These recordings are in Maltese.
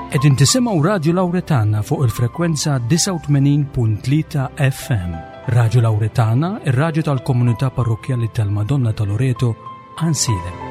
Qegħdin tisimgħu Radju Lawretana fuq il-frekwenza 89.3 FM. Radju Lawretana, ir-radju tal-komunità parrokkjali tal-Madonna ta' Loreto, Ansilem.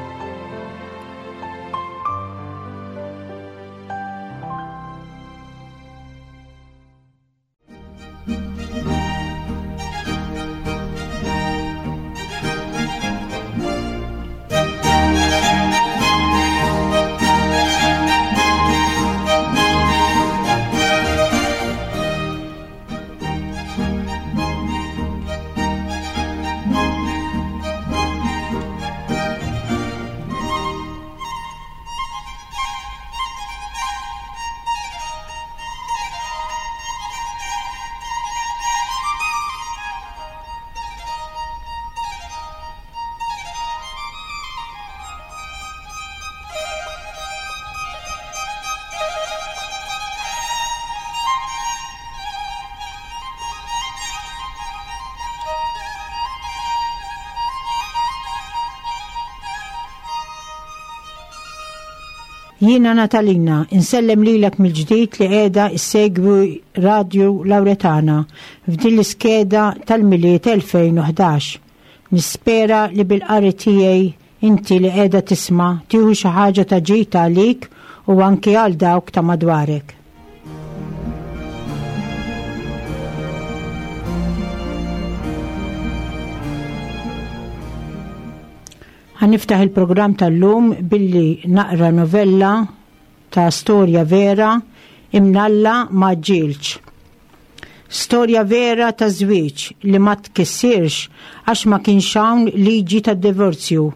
Jiena Natalina, insellem lilek mill-ġdid li qiegħda issegwi Radju Lawretana f'din l-iskeda tal-Milied 2011. Nispera li bil-qari tiegħi inti li qiegħda tisma' tieħu xi ħaġa ta' ġid għalik u anki għal dawk ta' madwarek. Ħa niftaħ il-programm tal-lum billi naqra novella ta' storja vera Imnalla ma ġġielx. Storja vera ta' żwieġ li ma tkissirx għax ma kienx hawn liġi tad-divorzju.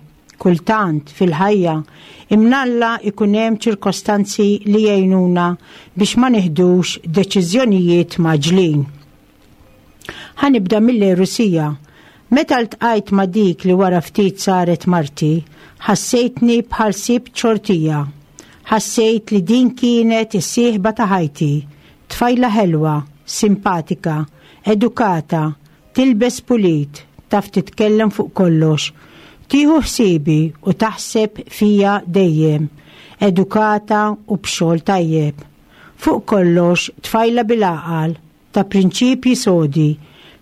Kultant, fil-ħajja, imnalla ikun hemm ċirkostanzi li jgħinuna biex ma nieħdux deċiżjonijiet mgħaġġlin. Ħa nibda mill-għerusija. Meta ltqajt ma' dik li wara ftit saret marti, ħassejtni bħal sibt xortija. Ħassejt li din kienet is-sieħba ta' ħajti. Tfajla ħelwa, simpatika, edukata, tilbes pulit, taf titkellem fuq kollox. Tieħu ħsiebi u taħseb fija dejjem. Edukata u b'xogħol tajjeb. Fuq kollox, tfajla bil-għaqal, ta' prinċipji sodi,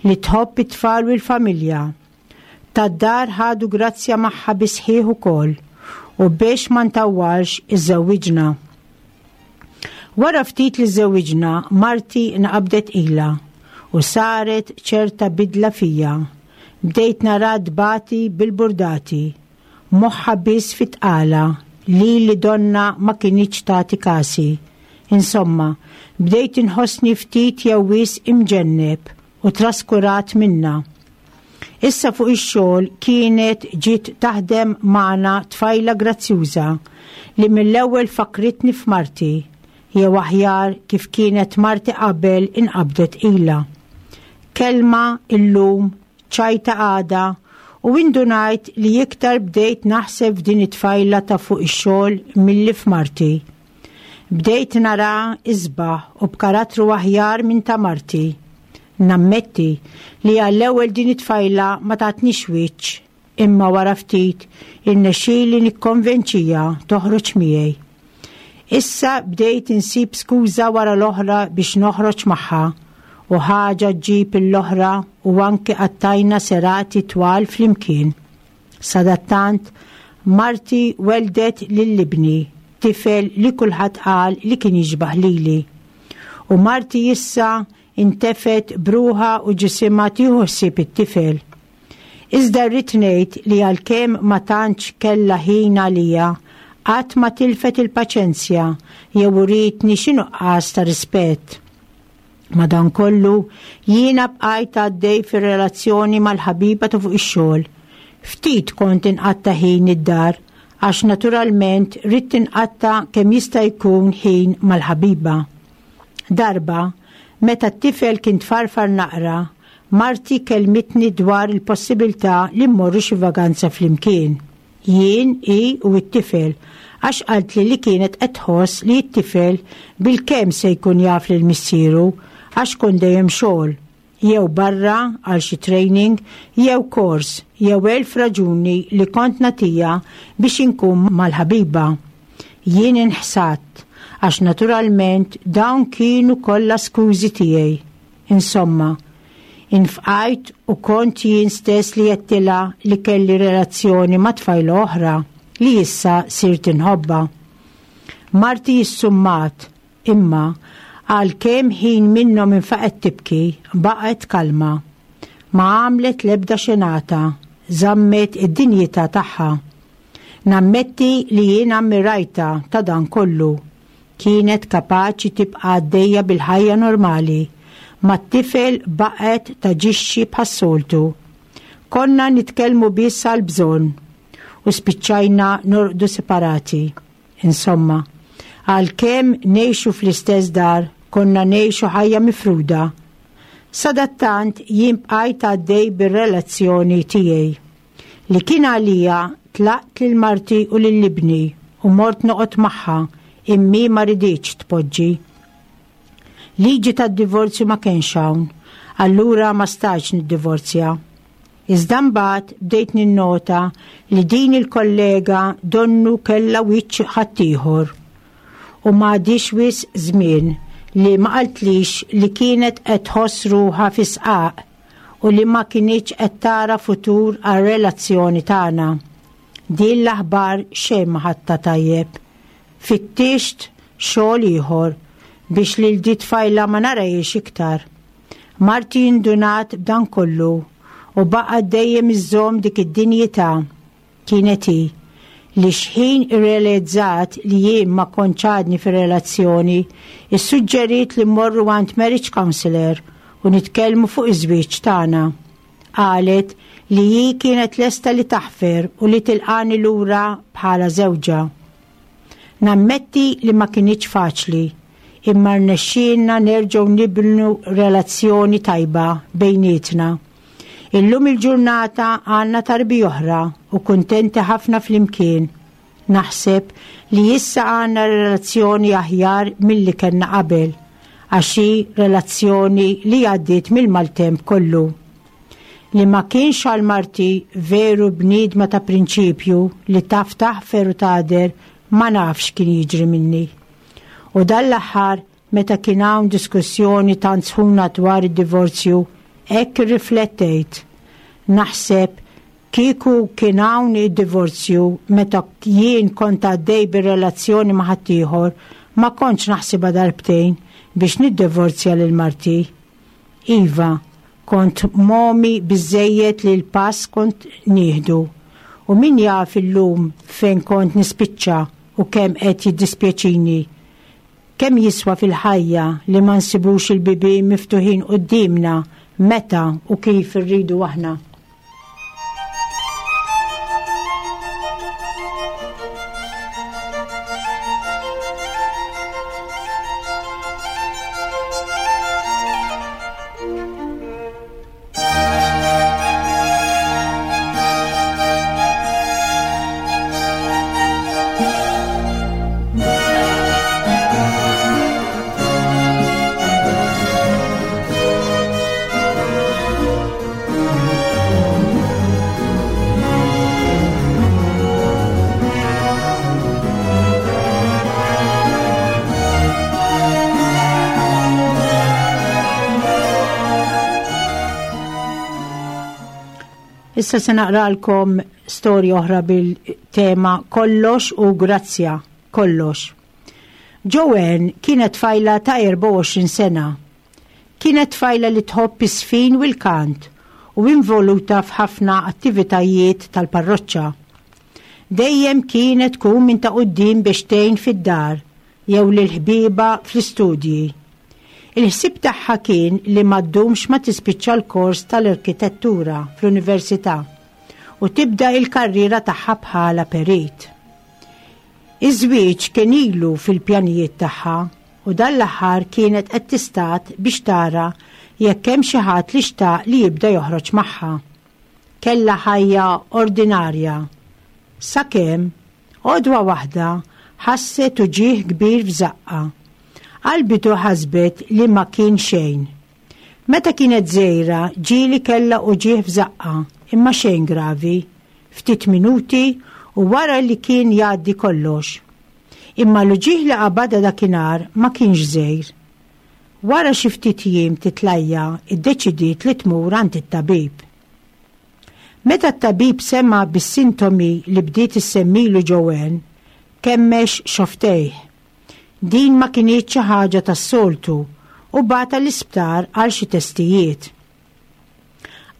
li tħobb it-tfal u l-familja. Tad-dar ħadu grazzja magħha bis-sħiħ ukoll u biex ma ntawwalx iżżewwiġna. Wara ftit li żżewwiġna, marti nqabdet tqila u saret ċerta bidla fija. Bdejt nara tbati bil-burdati. Moħħha biss fit-tqala, lili donnha ma kinitx tagħti kasi. Insomma, bdejt inħossni ftit jew wisq imġenneb u traskurat minnha. Issa fuq ix-xogħol kienet ġiet taħdem magħna tfajla grazzjuża li mill-ewwel fakkritni f'marti, jew aħjar kif kienet marti qabel inqabdet tqila. Kelma illum, ċajta għada u indunajt li iktar bdejt naħseb f'din it-tfajla ta' fuq ix-xogħol milli f'marti. Bdejt naraha isbaħ u b'karattru aħjar minn ta' marti. Nammetti li għall-ewwel din it-tfajla ma tatnix wiċċ imma wara ftit irnexxieli nikkonvenċiha toħroġ miegħi. Issa bdejt insib skuża wara l-oħra biex noħroġ magħha u ħaġa ġġib l-oħra u anki qattajna serati twal flimkien. Sadattant, marti weldet lil ibni, tifel li kulħadd qal li kien jixbah lili. U marti issa intefgħet b'ruħha u ġisimha tieħu ħsieb it-tifel. Iżda rrid ngħid li għalkemm ma tantx kellha ħin għalija, qatt ma tilfet il-paċenzja jew urietni xi nuqqas ta' rispett. Madankollu, jiena bqajt għaddej fir-relazzjoni mal-ħabiba ta' fuq ix-xogħol. Ftit kont inqatta' ħin id-dar għax naturalment ridt inqatta' kemm jista' jkun ħin mal-ħabiba. Darba, meta t-tifel kien tfarfar naqra, marti kellmitni dwar il-possibilità li mmorru xi vaganza flimkien. Jien, hi u t-tifel, għax qaltli li kienet qed tħoss li t-tifel bilkemm se jkun jaf lil missieru għax kont dejjem xogħol, jew barra għal xi training, jew kors, jew elf raġuni li kont nagħtiha biex inkun mal-ħabiba. Jien inħsadt. Għax naturalment dawn kienu kollha skużi tiegħi. Insomma, infqajt u kont jien stess li għedtilha li kelli relazzjoni ma' tfajla oħra li issa sirt inħobbha. Marti issummat, imma għalkemm ħin minnhom infaqgħet tibki, baqgħet kalma. Ma għamlet l-ebda xenata, żammet id-dinjità tagħha. Nammetti li jien ammirajtha ta' dan kollu. Kienet kapaċi tibqa' għaddejja bil-ħajja normali. Mat-tifel baqgħet taġixxi bħas-soltu. Konna nitkellmu biss għall-bżonn u spiċċajna norqdu separati. Insomma, għalkemm ngħixu fl-istess dar, konna ngħixu ħajja mifruda. Sadattant jien bqajt għaddej bir-relazzjoni tiegħi. Li kien għalija tlaqt lil marti u lil ibni u mort noqgħod magħha immi ma riditx tpoġġi. Liġi tad-divorzju ma kienx hawn, allura ma stajtx niddivorzja. Iżda mbagħad bdejt ninnota li din il-kollega donnu kellha wiċċ ħaddieħor. U ma għaddiex wisq żmien li ma qaltlix li kienet qed tħoss ruħha fi sqaq u li ma kinitx qed tara futur għar-relazzjoni tagħna. Din l-aħbar xejn ma ħadtha tajjeb. Fittixt xogħol ieħor biex lil di tfajla ma narahiex iktar. Marti indunat b'dan kollu u baqgħet dejjem iżżomm dik id-dinjità. Kienet hi li xħin irrealizzat li jien ma kontx għadni fir-relazzjoni, issuġġeriet li mmorru għand marriage counselor u nitkellmu fuq iż-żwieġ tagħna. Qalet li hi kienet lesta li taħfer u li tilqani lura bħala żewġha. Nammetti li ma kinitx faċli, imma rnexxielna nerġgħu nibnu relazzjoni tajba bejnietna. Illum il-ġurnata għandna tarbi oħra u kuntenti ħafna flimkien. Naħseb li issa għandna relazzjoni aħjar milli kellna qabel, għax hi relazzjoni li għaddiet mill-maltemp kollu. Li ma kienx għal marti veru bniedma ta' prinċipju li taf taħfer u tagħder ma nafx kien jiġri minni. U dan l-aħħar meta kien hawn diskussjoni tant sħuna dwar id-divorzju, hekk irriflettejt. Naħseb kieku kien hawn id-divorzju meta jien kont għaddej bir-relazzjoni ma' ħaddieħor, ma kontx naħsibha darbtejn biex niddivorzja lil marti. Iva, kont momi biżżejjed li l-pass kont nieħdu. U min jaf illum fejn kont nispiċċa u kemm qed jiddispjaċini. Kemm jiswa fil-ħajja li ma nsibux il-bibien miftuħin quddiemna meta u kif irridu aħna. Issa se naqralkom storja oħra bil-tema Kollox u Grazzja, kollox. Joanne kienet tfajla ta' 24 sena. Kienet tfajla li tħobb is-sfin u l-kant u involuta f'ħafna attivitajiet tal-parroċċa. Dejjem kienet tkun minn ta' quddiem biex tgħin fid-dar jew lil ħbiebha fl-istudji. Il-ħsieb tagħha kien li ma ddumx ma tispiċċa l-kors tal-arkitettura fl-università u tibda il-karriera tagħha bħala perit. Iż-żwieġ kien ilu fil-pjanijiet tagħha u dan l-aħħar kienet qed tistad biex tara jekk hemm xi ħadd li xtaq li jibda joħroġ magħha. Kellha ħajja ordinarja. Sakemm, għodwa waħda, ħasset uġigħ kbir f'żaqqha. Għall-bidu ħasbet li ma kien xejn. Meta kienet żgħira ġieli kellha uġigħ f'żaqqha, imma xejn gravi. Ftit minuti u wara li kien jgħaddi kollox. Imma l-uġigħ li qabadha dakinhar ma kienx żgħir. Wara xi ftit jiem titlajja iddeċidiet li tmur għand it-tabib. Meta t-tabib sema' bis-sintomi li bdiet issemmilu Joanne, kemmex xofftejh. Din ma kinitx xi ħaġa tas-soltu u bagħatha l-isptar għal xi testijiet.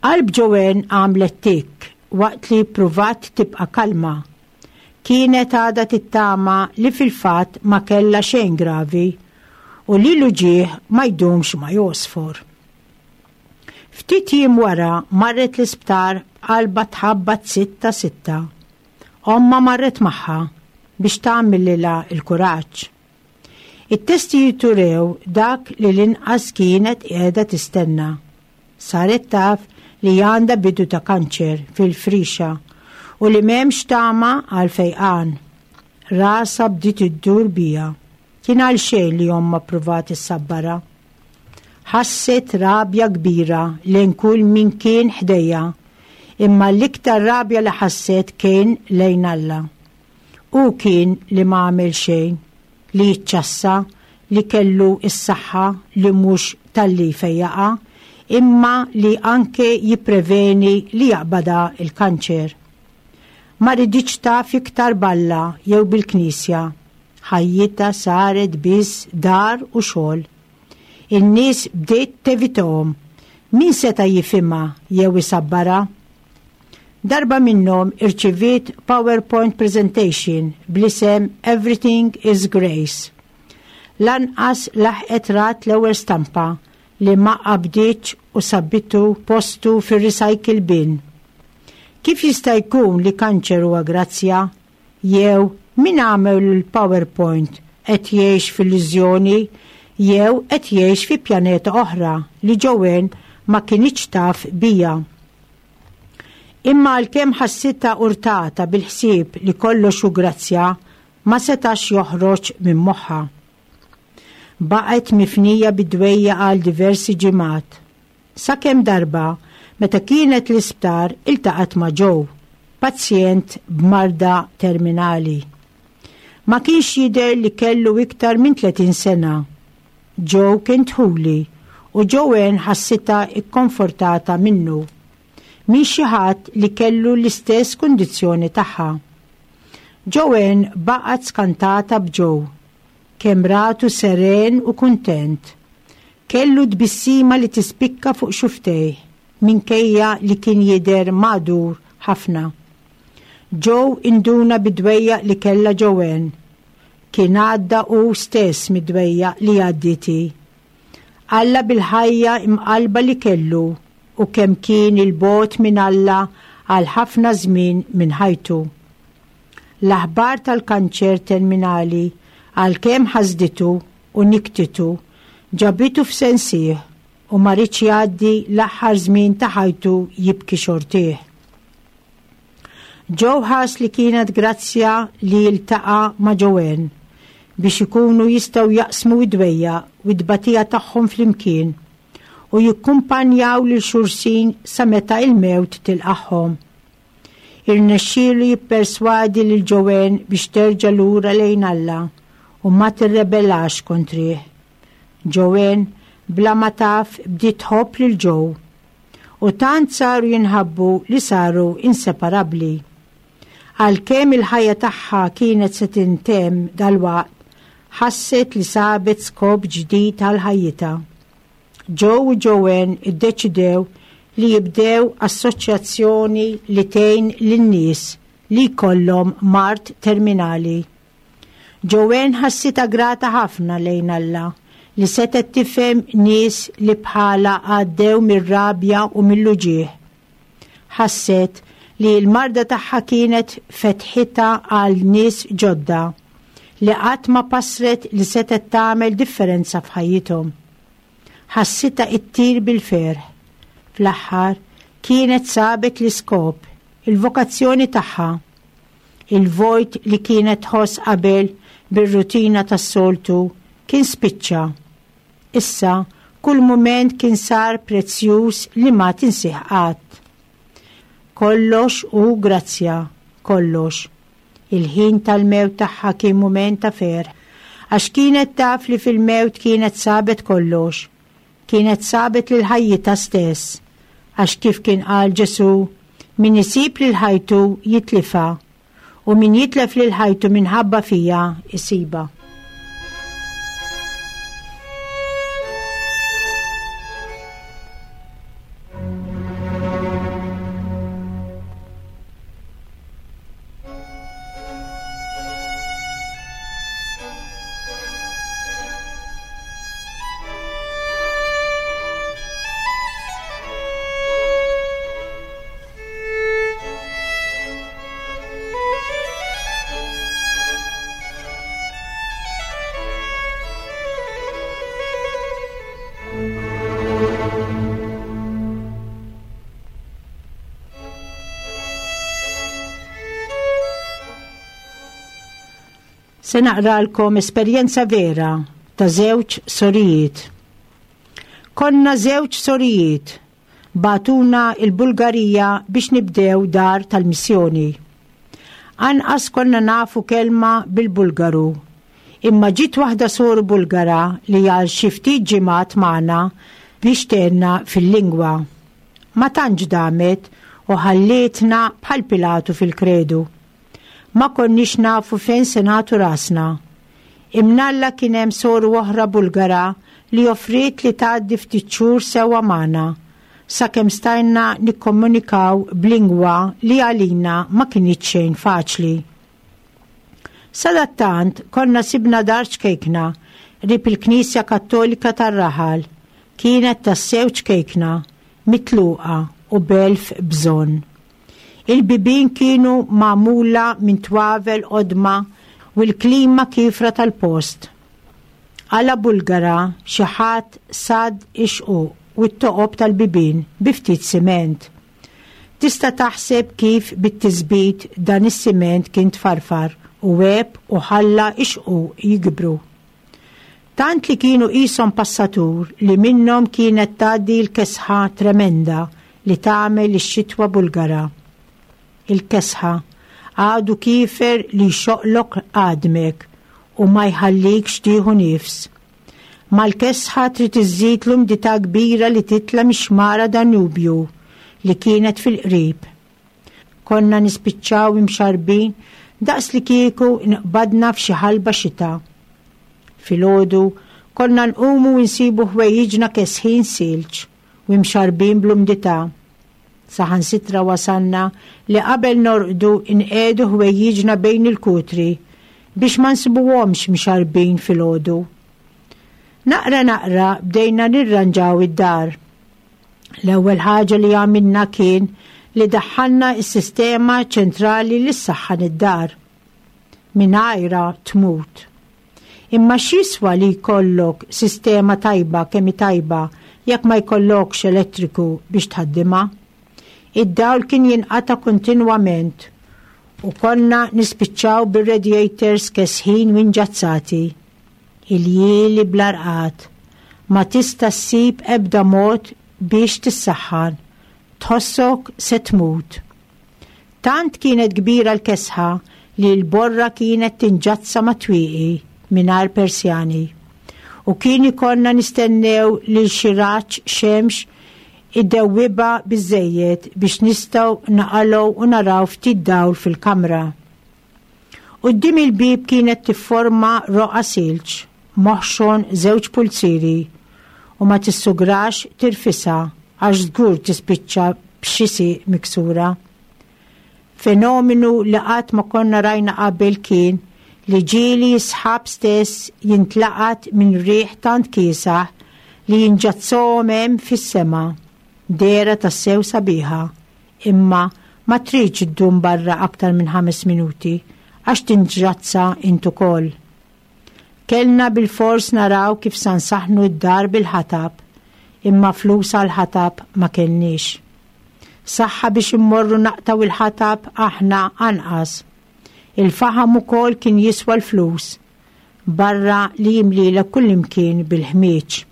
Qalb Joanne għamlet tikk waqt li ppruvat tibqa' kalma. Kienet għadha tittama li fil-fatt ma kellha xejn gravi u li l-uġigħ ma jdumx ma jgħosfor. Ftit jiem wara marret l-isptar b'qalbha tħabbat sitta sitta. Ommha marret magħha biex tagħmlilha l-kuraġġ. It-testijiet urew dak li l-inqas kienet qiegħda tistenna. Saret taf li għandha bidu ta' kanċer fil-frixa u li m'hemmx tama għal fejqan. Rasha bdiet iddur biha. Kien għalxejn li ommha ppruvat issabbarha. Ħasset rabja kbira lejn kull min kien ħdejha, imma l-iktar rabja li ħasset kien lejn Alla. Hu kien li ma għamel xejn, li jiċċassa, li kellu s-saħħa li mhux talli jfejjaqha, imma li anke jippreveni li jaqbadha l-kanċer. Ma riditx taf iktar b'Alla jew bil-Knisja. Ħajjitha saret biss dar u xogħol. In-nies bdiet tevitahom. Min seta' jifhimha jew isabbarha? Darba minnhom irċiviet PowerPoint presentation bl-isem Everything is Grace. Lanqas laħqet rat l-ewwel stampa li ma qabditx u sabbitu postu fir-recycle bin. Kif jista' jkun li kanċer huwa grazzja? Jew min għamel il-PowerPoint qed jgħix f'illużjoni jew qed jgħix fi pjaneta oħra li Joanne ma kinitx taf biha. Imma għalkemm ħassitha urtata bil-ħsieb li kollox hu grazzja, ma setax joħroġ minn moħħha. Baqgħet mifnija bid-dwejjaq għal diversi ġimgħat. Sakemm darba, meta kienet l-isptar iltaqgħet ma' Joe, pazjent b'marda terminali. Ma kienx jidher li kellu iktar minn 30 sena. Joe kien dħuli u Joanne ħassitha kkonfortata minnu, minn xi ħadd li kellu l-istess kundizzjoni tagħha. Joanne baqgħet skantata b'Joe, kemm ratu seren u kuntent. Kellu tbissima li tispikka fuq xufftejh minkejja li kien jidher magħdur ħafna. Joe induna bid-dwejjaq li kellha Joanne. Kien għadda hu stess mid-dwejjaq li għaddiet hi. Alla bil-ħajja imqallba li kellu u kemm kien 'il bogħod minn Alla għal ħafna żmien minn ħajtu. L-aħbar tal-kanċer terminali għalkemm ħasditu u nikktitu, ġabitu f'sensih u ma riedx jgħaddi l-aħħar żmien ta' ħajtu jibki xortih. Joe ħass li kienet grazzja li jiltaqa' ma' Joanne biex ikunu jistgħu jaqsmu d-dwejjaq u t-tbatija tagħhom flimkien u jikkumpanjaw lil xulxin sa meta il-mewt tilqagħhom. Irnexxielu jipperswadi lil Joanne biex terġa' lura lejn Alla u ma tirrebellax kontrih. Joanne bla ma taf bdiet tħobb lil Joe u tant saru jinħabbu li saru inseparabbli. Għalkemm il-ħajja tagħha kienet se tintemm dalwaqt, ħasset li sabet skop ġdid għal ħajjitha. Joe u Joanne iddeċidew li jibdew assoċjazzjoni li tgħin lin-nies li jkollhom mard terminali. Joanne ħassitha grata ħafna lejn Alla li setgħet tifhem nies li bħalha għaddew mir-rabja u mill-uġigħ. Ħasset li l-marda tagħha kienet fetħitha għal nies ġodda li qatt ma passret li setgħet tagħmel differenza f'ħajjithom. Ħassitha ittir bil-ferħ. Fl-aħħar, kienet sabet l-iskop, il-vokazzjoni tagħha. Il-vojt li kienet tħoss qabel bir-rutina tas-soltu kien spiċċa. Issa, kull mument kien sar prezzjuż li ma tinsih qatt. Kollox hu grazzja, kollox. Il-ħin tal-mewt tagħha kien mument ta' ferħ, għax kienet taf li fil-mewt kienet sabet kollox. Kienet sabet lil ħajjitha stess, għax kif kien qal Ġesù, min isib lil ħajtu jitlifha, u min jitlef lil ħajtu minħabba fija jsibha. Se naqralkom esperjenza vera ta' żewġ sorijiet. Konna żewġ sorijiet bagħtuna l-Bulgarija biex nibdew dar tal-missjoni. Anqas konna nafu kelma bil-Bulgaru. Imma ġiet waħda soru Bulgara li għal xi ftit ġimgħat magħna biex tgħinna fil-lingwa. Ma tantx damet u ħallietna bħal Pilatu fil-kredu. Ma konniex nafu fejn se nagħtu rasna. Imnalla kien hemm soru oħra Bulgara li offriet li tgħaddi ftit xhur sewwa magħna, sakemm stajna nikkomunikaw b'lingwa li għalina ma kinitx xejn faċli. Sadattant konna sibna dar ċkejkna qrib il-Knisja Kattolika tar-raħal. Kienet tassew ċkejkna, mitluqa u b'elf bżonn. Il-bibien kienu magħmula minn twavel qodma u l-klima kiefra tal-post. Għala Bulgara xi ħadd sadd ix-xquq u t-toqob tal-bibien bi ftit siment. Tista' taħseb kif bit-tisbit dan is-siment kien tfarfar u għeb u ħalla x-xquq jikbru. Tant li kienu qishom passatur li minnhom kienet tgħaddi l-kesħa tremenda li tagħmel ix-xitwa Bulgara. Il-kesħa, għadu kiefer li jxoqqlok għadmek u ma jħallikx tieħu nifs. Mal-kesħa trid iżżid l-umdità kbira li titla' mix-xmara Danubju li kienet fil-qrib. Konna nispiċċaw imxarrbin daqs li kieku nqbadna f'xi ħalba xita. Filgħodu konna nqumu u nsibu ħwejjiġna kesħin silġ u imxarrbin bl-umdità. Saħansitra wasalna li qabel norqdu nqiegħdu ħwejjiġna bejn il-kutri biex ma nsibuhomx mxarrbin filgħodu. Naqra naqra bdejna nirranġaw id-dar. L-ewwel ħaġa li għamilna kien li daħħalna s-sistema ċentrali li ssaħħan id-dar. Mingħajrha tmut. Imma x'jiswa li jkollok sistema tajba kemm hi tajba jekk ma jkollokx elettriku biex tħaddimha? Id-dawl kien jinqata' kontinwament u konna nispiċċaw bir-radiators kesħin u inġazzati. Iljieli bla rqad. Ma tista' ssib ebda mod biex tissaħħan. Tħossok se tmut. Tant kienet kbira l-kesħa li l-borra kienet tinġazza mat-twieqi mingħajr persjani. U kien ikollna nistennew lil xi raġġ xemx idewwibha biżżejjed biex nistgħu naqalgħu u naraw ftit dawl fil-kamra. Quddiem il-bieb kienet tifforma roqgħa silġ, moħxon żewġ pulzieri, u ma tissugrax tirfisha għax żgur tispiċċa b'xi sieq miksura. Fenomenu li qatt ma konna rajna qabel kien li ġieli s-sħab stess jintlaqat minn riħ tant kiesaħ li jinġazzahom hemm fis-sema. Dehra tassew sabiħa. Imma ma tridx iddum barra aktar minn ħames minuti għax tinġrazza int ukoll. Kellna bilfors naraw kif sa nsaħħnu d-dar bil-ħatab, imma flus għall-ħatab ma kellniex. Saħħa biex immorru naqtgħu il-ħatab aħna anqas. Il-faħam ukoll kien jiswa l-flus, barra li jimlielek kullimkien bil-ħmieġ.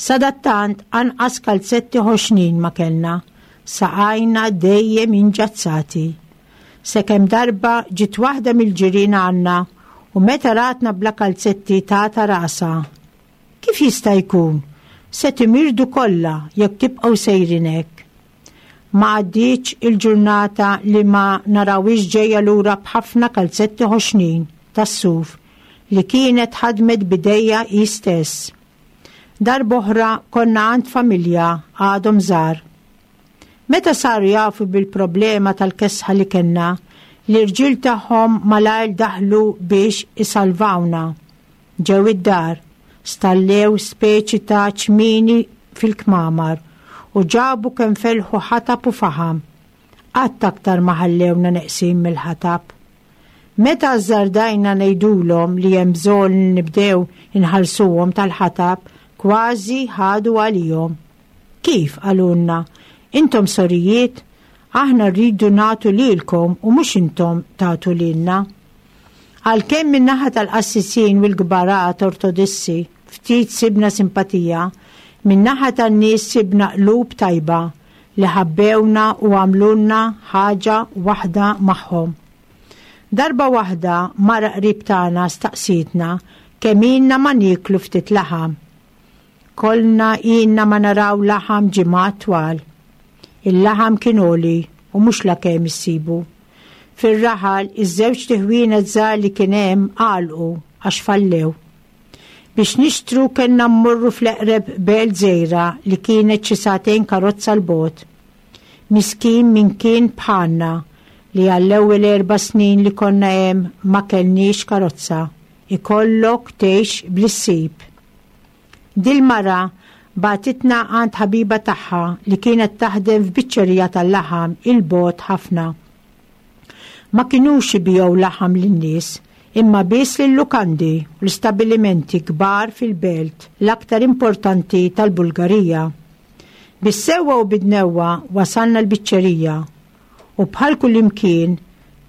Sadattant anqas kalzetti ħoxnin ma kellna, saqajna dejjem inġazzati. Sakemm darba ġiet waħda mill-ġirien għandna u meta ratna bla kalzetti tata rasha. Kif jista' jkun? Se timirdu kollha jekk tibqgħu sejrin hekk. Ma għaddietx il-ġurnata li ma narawhiex ġejja lura b'ħafna kalzetti ħoxnin tas-suf li kienet ħadmet b'idejha hi stess. Darb'oħra konna għand familja għadhom żgħar. Meta saru jafu bil-problema tal-kesħa li kellna, l-irġiel tagħhom malajr daħlu biex isalvawna. Ġew id-dar, stallew speċi ta' ċmieni fil-kmamar u ġabu kemm felħu ħatab u faħam. Qatt aktar ma ħallewna neqsin mill-ħatab. Meta ażżardajna ngħidulhom li hemm bżonn li nibdew inħallsuhom tal-ħatab, kważi ħadu għalihom. Kif, qalulna, intom sorijiet? Aħna rridu nagħtu lilkom u mhux intom tagħtu lilna. Għalkemm min-naħa tal-qassisin u l-kbarat Ortodissi ftit sibna simpatija, min-naħa tan-nies sibna qlub tajba li ħabbewna u għamlulna ħaġa waħda magħhom. Darba waħda mara qrib tagħna staqsietna kemm ilna ma nieklu ftit laħam. Kollna ilna ma naraw laħam ġimgħat twal. Il-laħam kien għoli u mhux lakemm issibu. Fir-raħal iż-żewġt iħwienet żgħar li kien hemm għalqu għax fallew. Biex nixtru kellna mmorru fl-eqreb belt żgħira li kienet xi sagħtejn karozza 'l bogħod. Miskin min kien bħalna li għall-ewwel erba' snin li konna hemm ma kellniex karozza, ikollok tgħix bli ssib. Dil-mara bagħtitna għand ħabiba tagħha li kienet taħdem f'biċċerija tal-laħam 'il bogħod ħafna. Ma kinux ibigħu laħam lin-nies, imma biss lil-lukandi u l-istabbilimenti kbar fil-belt l-aktar importanti tal-Bulgarija. Bis-sewwa u bid-dnewwa wasalna l-biċċerija u bħal kullimkien,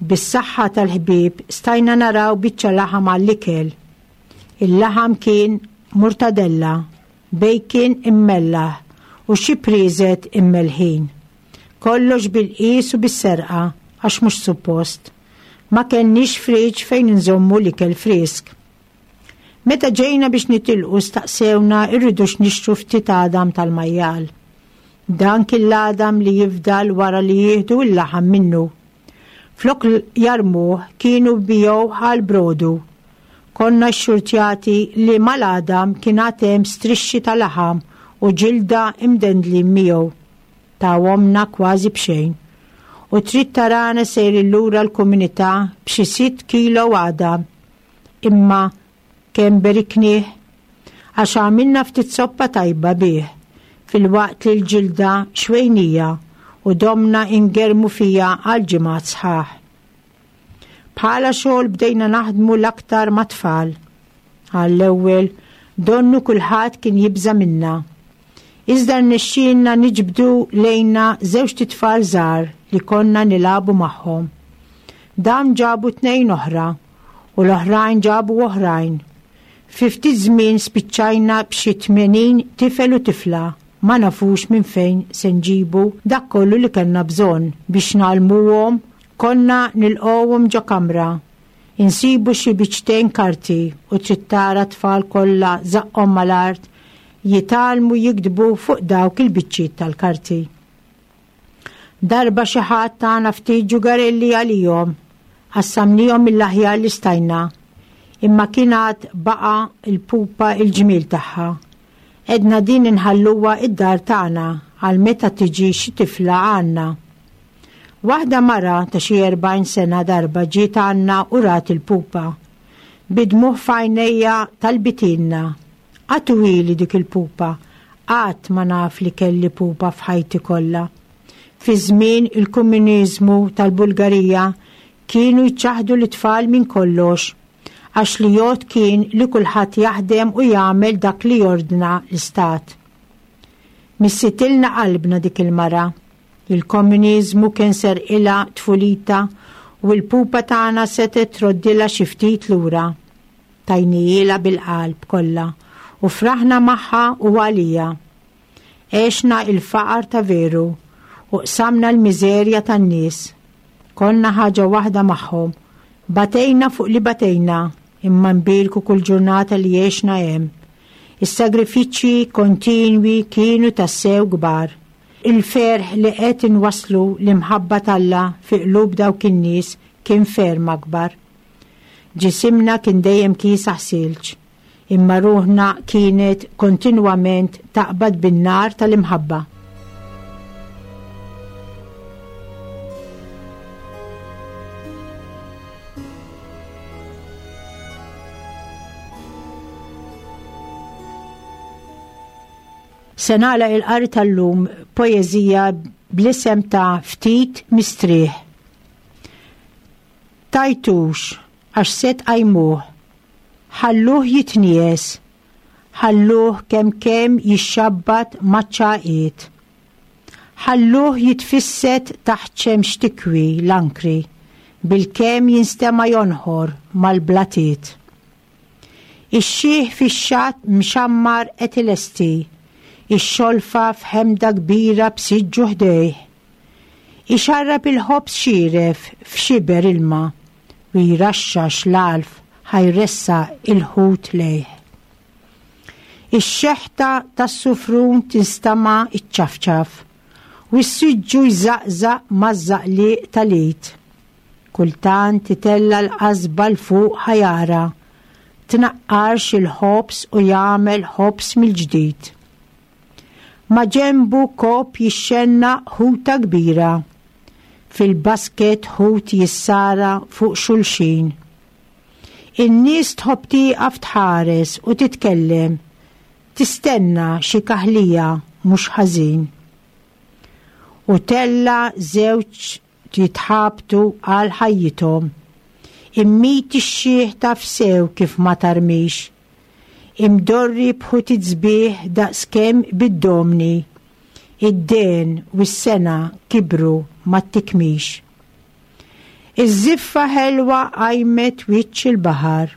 bis-saħħa tal-ħbieb stajna naraw biċċa laħam għall-ikel. Il-laħam kien murtadella, bacon immellaħ u xi prieżet immellħin. Kollox bil-qies u bis-serqa għax mhux suppost. Ma kellniex fridge fejn inżommu l-ikel frisk. Meta ġejna biex nitilqu staqsewna rridux nixtru ftit għadam tal-majjal. Dan kien l-għadam li jifdal wara li jieħdu l-laħam minnu. Flok jarmuh kienu jbigħuh għall-brodu. Konna xxurtjati li mal-għadam kien għad hemm strixxi ta' laħam u ġilda imdendlin miegħu. Tawhomlna kważi b'xejn. U trid tarana sejrin lura l-komunità b'xi sitt kilo għadam. Imma Kemm beriknieh! Għax għamilna ftit soppa tajba bih, filwaqt li l-ġilda xwejnija u domna ingerrmu fiha għal ġimgħat sħaħ. Bħala xogħol bdejna naħdmu l-aktar mat-tfal. Għall-ewwel, donnu kulħadd kien jibża' minna. Iżda rnexxielna niġbdu lejna żewġt itfal żgħar li konna nilagħbu magħhom. Dawn ġabu tnejn oħra u l-oħrajn ġabu oħrajn. Fi ftit żmien spiċċajna b'xi 80 tifel u tifla ma nafux minn fejn se nġibu dak kollu li kellna bżonn biex ngħallmuhom. Konna nilqgħuhom ġo kamra, insibu xi biċċtejn karti u trid tara t-tfal kollha żaqqhom mal-art jitgħallmu jiktbu fuq dawk il-biċċiet tal-karti. Darba xi ħadd tana ftit ġugarelli għalihom, qassamnihom mill-aħjar li stajna. Imma kien għad baqa' l-pupa l-ġmiel tagħha. Għedna din inħalluha id-dar tagħna għal meta tiġi xi tifla għandna. Waħda mara ta' xi 40 sena darba ġiet għandna u rat il-pupa. Bi dmugħ f'għajnejha talbitilna, Agħtuhieli dik il-pupa, qatt ma naf li kelli pupa f'ħajti kollha. Fi żmien il-Komuniżmu tal-Bulgarija kienu jċaħħdu lit-tfal minn kollox, għax li jgħodd kien li kulħadd jaħdem u jagħmel dak li jordna l-istat. Missitilna qalbna dik il-mara. Il-Komuniżmu kien serqilha tfulitha u l-pupa tagħna setgħet troddilha xi ftit lura. Tajnihielha bil-qalb kollha u fraħna magħha u għaliha. Għexna il-faqar ta' veru u qsamna l-miżerja tan-nies. Konna ħaġa waħda magħhom. Batejna fuq li batejna, imma nbierku kull ġurnata li għexna hemm. Is-sagrifiċċji kontinwi kienu tassew kbar. Il-ferħ li qed inwasslu l-imħabba t'Alla fi qlub dawk in-nies kien ferm akbar. Ġisimna kien dejjem kiesaħ silġ, imma ruħna kienet kontinwament taqbad bin-nar tal-imħabba. Se nagħlaq il-qari tal-lum poeżija bl-isem ta' Ftit Mistrieħ. Tajtux għax se tqajmuh, ħalluh jitnies, ħalluh kemm kemm jixxabbat maċ-ċagħqiet. Ħalluh jitfissed taħt xemx tikwi l-ankri, bilkemm jinstema' jonħor mal-blatiet. Ix-xiħ fix-xatt mxammar qed ilesti x-xolfa f'ħemda kbira b'siġġu ħdejh. Ixarrab il-ħobż xieref f'xiber ilma u jraxxax l-għalf ħa jressaq il-ħut lejh. Ix-xeħta tas-sufrun tinstama' ċċafċaf u s-siġġu jżaqżaq maż-żaqliq tal-id. Kultant itella' l-qasba 'l fuq ħa jara tnaqqarx il-ħobż u jagħmel ħobż mill-ġdid. Maġenbu kopp jixxennaq ħuta kbira. Fil-basket ħut jissara fuq xulxin. In-nies tħobb tieqaf tħares u titkellem, tistenna xi kaħlija mhux ħażin. U tella' żewġ jitħabtu għal ħajjithom. Immit ix-xiħ taf sew kif ma tarmix. Imdorri b'ħutit sbieħ daqskemm bid-domni. Id-dehen u s-sena kibru mat-tikmix. Iż-żiffa ħelwa qajmet wiċċ il-baħar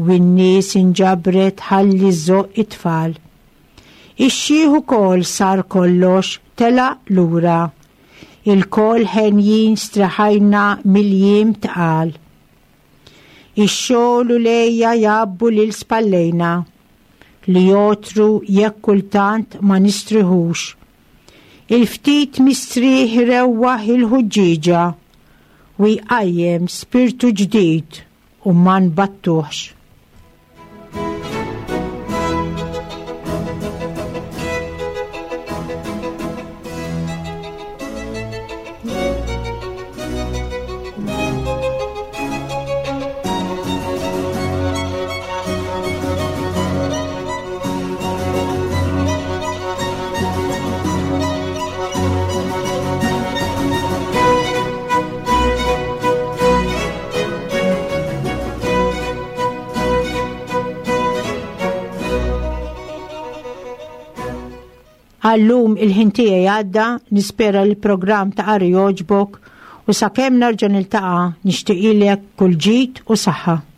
u n-nies inġabret ħalli żżoqq it-tfal. Ix-xiħ ukoll sar kollox telaq lura. Ilkoll henjin streħajna mill-jiem tqal. Ix-xogħol u l-għeja jgħabbu lil spallejna, li jogħtru jekk kultant ma nistriħux. Il-ftit mistrieħ irewwaħ il-ħuġġieġa u jqajjem spirtu ġdid u ma nbattuhx. Għallum il-ħin tiegħi għadda, nispera li l-programm ta' qari jogħġbok u sakemm nerġa' niltaqa' nixtieqilek kull ġid u saħħa.